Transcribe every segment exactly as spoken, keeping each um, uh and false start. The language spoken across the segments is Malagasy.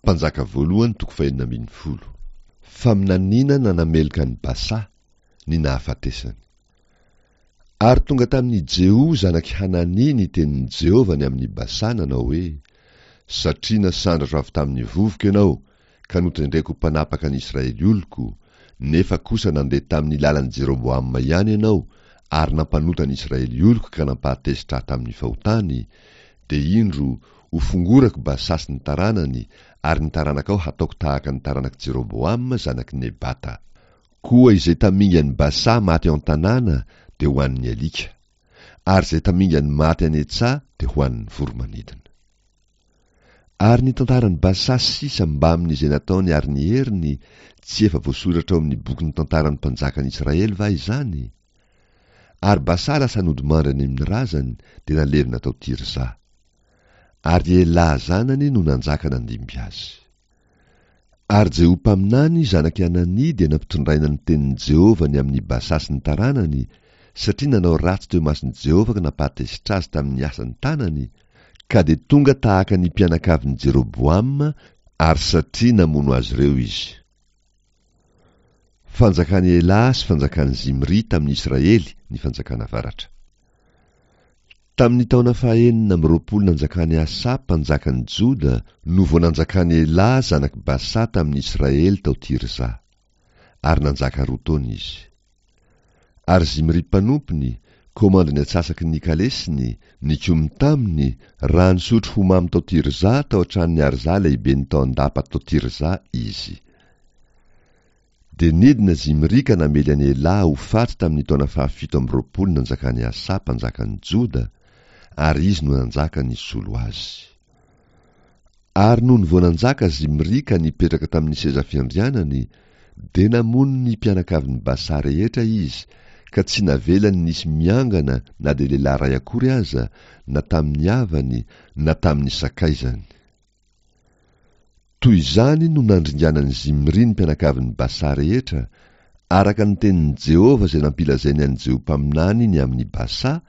Mpanjaka voalohany toko fahenina ambin'ny folo. Faminaniana nanameloka an'i Basa, ny nahafatesany. Ary tonga tamin'i Jeho zanak'i Hanania ny tenin'i Jehovah ny amin'i Basa nanao hoe, Satria nasandratro avy tamin'ny vovoko ianao, ka notendreko ho mpanapaka ny Israely oloko, nefa kosa nandeha tamin'ny lalan'i Jeroboama ihany ianao, ary nampanota ny Israely oloko ka nampahatezitra ahy tamin'ny fahotany, dia indro, hofongorako Basa sy ny taranany, ary ny taranakao hataoko tahaka ny taranak'i Jeroboama zanak'i Nebata. Koa izay tamingan'i Basa maty ao an-tanàna dia ho an'ny alika, ary izay tamingan'ny maty any an-tsaha dia ho an'ny voro-manidina. Ary ny tantaran'i Basa sisa mbamin'izay nataony ary ny heriny, tsy efa voasoratra ao amin'ny bokin'ny tantaran'ny mpanjakan'i Israely va izany? Ary Basa lasa nodimandry any amin'ny razany, dia nalevina tao Tirza. Ary Elà zanany no nanjaka nandimby azy. Ary Jeho mpaminany, zanak'i Hanania, dia nampitondraina ny tenin'i Jehovah ny amin'i Basa sy ny taranany, satria nanao ratsy teo imason'i Jehovah ka nampahatezitra azy tamin'ny asan'ny tanany, ka dia tonga tahaka ny mpianakavin'i Jeroboama, ary satria namono azy ireo izy. Fanjakan'i Elà sy fanjakan'i Zimri tamin'i Israely ny fanjakana avaratra. Tamin'ny taona fahenina amby roapolo nanjakan'i Asa mpanjakan'i Joda no vao nanjakan'i Elà zanak'i Basa tamin'i Israely tao Tirza. Ary nanjaka roa taona izy. Ary Zimri mpanompony, komandin'ny antsasaky ny kalesiny, nikomy taminy, raha nisotro ho mamy tao Tirza tao an-tranon'i Arza lehiben'ny tao an-dapa tao Tirza izy. Dia nidina Zimri ka namely an'i Elà ho faty tamin'ny taona fahafito amby roapolo nanjakan'i Asa mpanjakan'i Joda, ary izy no nanjaka nisolo azy. Ary nony vao nanjaka Zimri ka nipetraka tamin'ny seza fiandrianany, dia namono ny mpianakavin'i Basa rehetra izy, ka tsy navelany nisy miangana na dia lehilahy iray akory aza, na tamin'ny havany, na tamin'ny sakaizany. Toy izany no nandringanan'i Zimri ny mpianakavin'i Basa rehetra, araka ny tenin'i Jehovah izay nampilazainy an'i Jeho mpaminany ny amin'i Basa,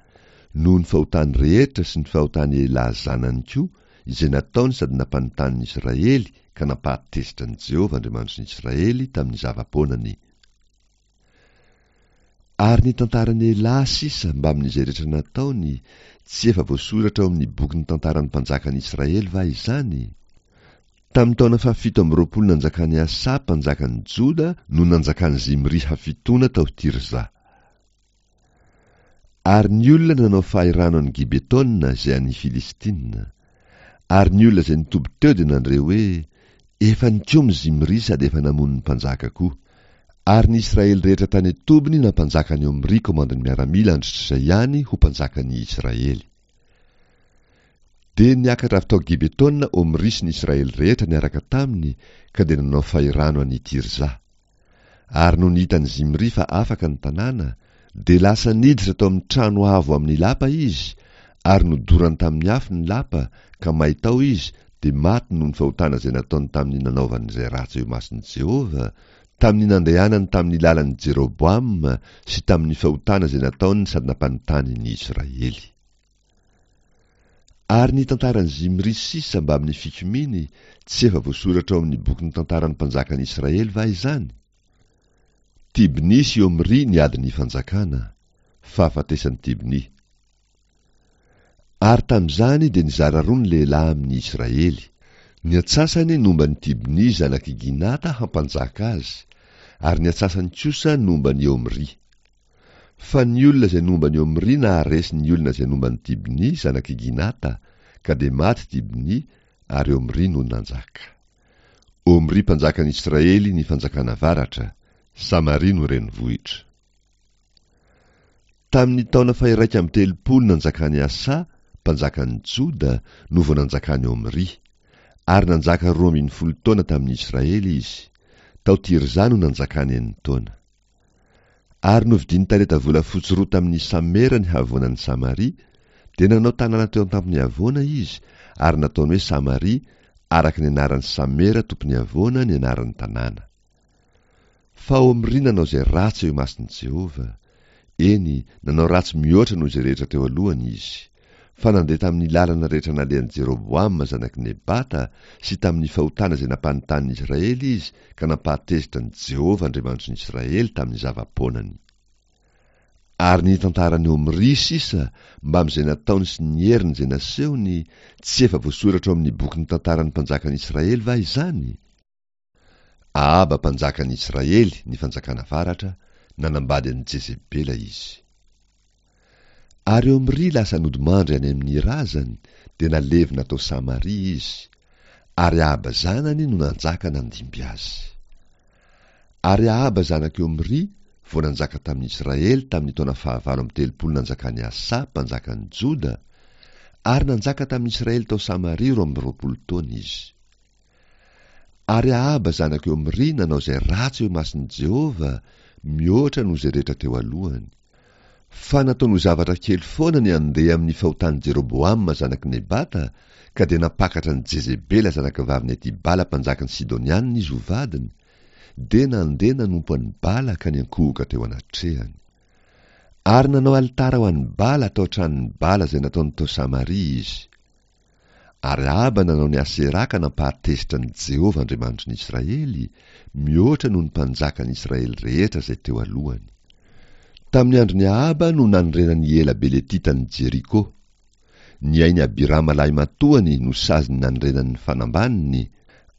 noho ny fahotany rehetra sy ny fahotan'i Elà zanany koa, izay nataony sady nampanotany ny Israely ka nampahatezitra an'i Jehovah Andriamanitry ny Israely tamin'ny zava-poanany. Ary ny tantaran'i Elà sisa mbamin'izay rehetra nataony, tsy efa voasoratra ao amin'ny bokin'ny tantaran'ny mpanjakan'i Israely va izany? Tamin'ny taona fahafito amby roapolo nanjakan'i Asa mpanjakan'i Joda no nanjakan'i Zimri hafitoana tao Tirza. Ary ny olona nanao fahirano an'i Gibetona izay an'ny Filistina. Ary ny olona izay nitoby teo dia nandre hoe, Efa nikomy Zimri sady efa namono ny mpanjaka koa. Ary ny Israely rehetra tany an-tobiny nampanjaka an'i Omry komandin'ny miaramila andritr'izay ihany ho mpanjakan'ny Israely. Dia niakatra avy tao Gibetona Omry sy ny Israely rehetra niaraka taminy ka dia nanao fahirano an'i Tirza. Ary nony hitan'i Zimri fa afaka ny tanàna, dia lasa niditra tao amin'ny trano avo amin'ny lapa izy, ary nodorany tamin'ny afo ny lapa, ka may tao izy, dia maty noho ny fahotana izay nataony tamin'ny nanaovany izay ratsy eo imason'i Jehovah, tamin'ny nandehanany tamin'ny lalan'i Jeroboama sy tamin'ny fahotana izay nataony sady nampanotany ny Israely. Ary ny tantaran'i Zimri sisa mbamin'ny fikomiany, tsy efa voasoratra ao amin'ny bokin'ny tantaran'ny mpanjakan'i Israely va izany? Tibni sy Omri niady ny fanjakana, fahafatesan'i Tibni. Ary tamin'izany dia nizara roa ny lehilahy amin'ny Israely. Ny antsasany nomba an'i Tibni zanak'i Ginata hampanjaka azy, ary ny antsasany kosa nomba an'i Omri. Fa ny olona izay nomba an'i Omri naharesy ny olona izay nomba an'i Tibni zanak'i Ginata, ka dia maty Tibni, ary Omri no nanjaka. Omri mpanjakan'i Israely ny fanjakana avaratra, Samaria no renivohitra. Tamin'ny taona fahiraika amby telopolo nanjakan'i Asa, mpanjakan'i Joda, no vao nanjakan'i Omri. Ary nanjaka roa ambin'ny folo taona tamin'i Israely izy. Tao Tirza no nanjakany enin-taona. Ary novidiany talenta volafotsy roa tamin'ny Samera ny havoanan'i Samaria, dia nanao tanàna teo an-tampon'ny havoana izy, ary nataony hoe Samaria, araka ny anaran'i Samera tompon'ny havoana ny anaran'ny tanàna. Fa Omri nanao izay ratsy eo imason'i Jehovah. Eny, nanao ratsy mihoatra noho izay rehetra teo alohany izy. Fa nandeha tamin'ny lalana rehetra nalehan'i Jeroboama zanak'i Nebata sy tamin'ny fahotana izay nampanotanin'ny Israely izy ka nampahatezitra an'i Jehovah Andriamanitry ny Israely tamin'ny zava-poanany. Ary ny tantaran'i Omry sisa mbamin'izay nataony sy ny heriny izay nasehony, tsy efa voasoratra ao amin'ny bokin'ny tantaran'ny mpanjakan'ny Israely va izany? Ahaba mpanjakan'ny Israely, ny fanjakana avaratra, nanambady an'i Jezebela izy. Ary Omry lasa nodimandry any amin'ny razany, dia nalevina tao Samaria izy, ary Ahaba zanany no nanjaka nandimby azy. Ary Ahaba zanak'i Omry vao nanjaka tamin'ny Israely tamin'ny taona fahavalo amby telopolo nanjakan'i Asa mpanjakan'i Joda, ary nanjaka tamin'ny Israely tao Samaria roa amby roapolo taona izy. Ary Ahaba zanak'i Omry nanao izay ratsy eo imason'i Jehovah, mihoatra noho izay rehetra teo alohany. Fa nataony ho zavatra kely foana ny handeha amin'ny fahotan'i Jeroboama zanak'i Nebata, ka dia nampakatra an'i Jezebela zanakavavin'i Etibala mpanjakan'ny Sidonianina izy ho vadiny, dia nandeha nanompo an'i Bala ka niankohoka teo anatrehany. Ary nanao alitara ho an'i Bala tao an-tranon'i Bala izay nataony tao Samaria izy. Ary Ahaba nanao ny Aseraha ka nampahatezitra an'i Jehovah Andriamanitry ny Israely, mihoatra noho ny mpanjakan'ny Israely rehetra izay teo alohany. Tamin'ny andron'i Ahaba no nanorenan'i Ela Beletita an'i Jeriko. Ny ain'i Abirama lahimatoany no saziny nanorenany ny fanambaniny,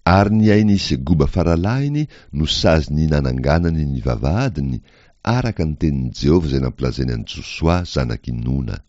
ary ny ain'i Segoba faralahiny no saziny nananganany ny vavahadiny, araka ny tenin'i Jehovah izay nampilazainy an'i Josoa zanak'i Nona.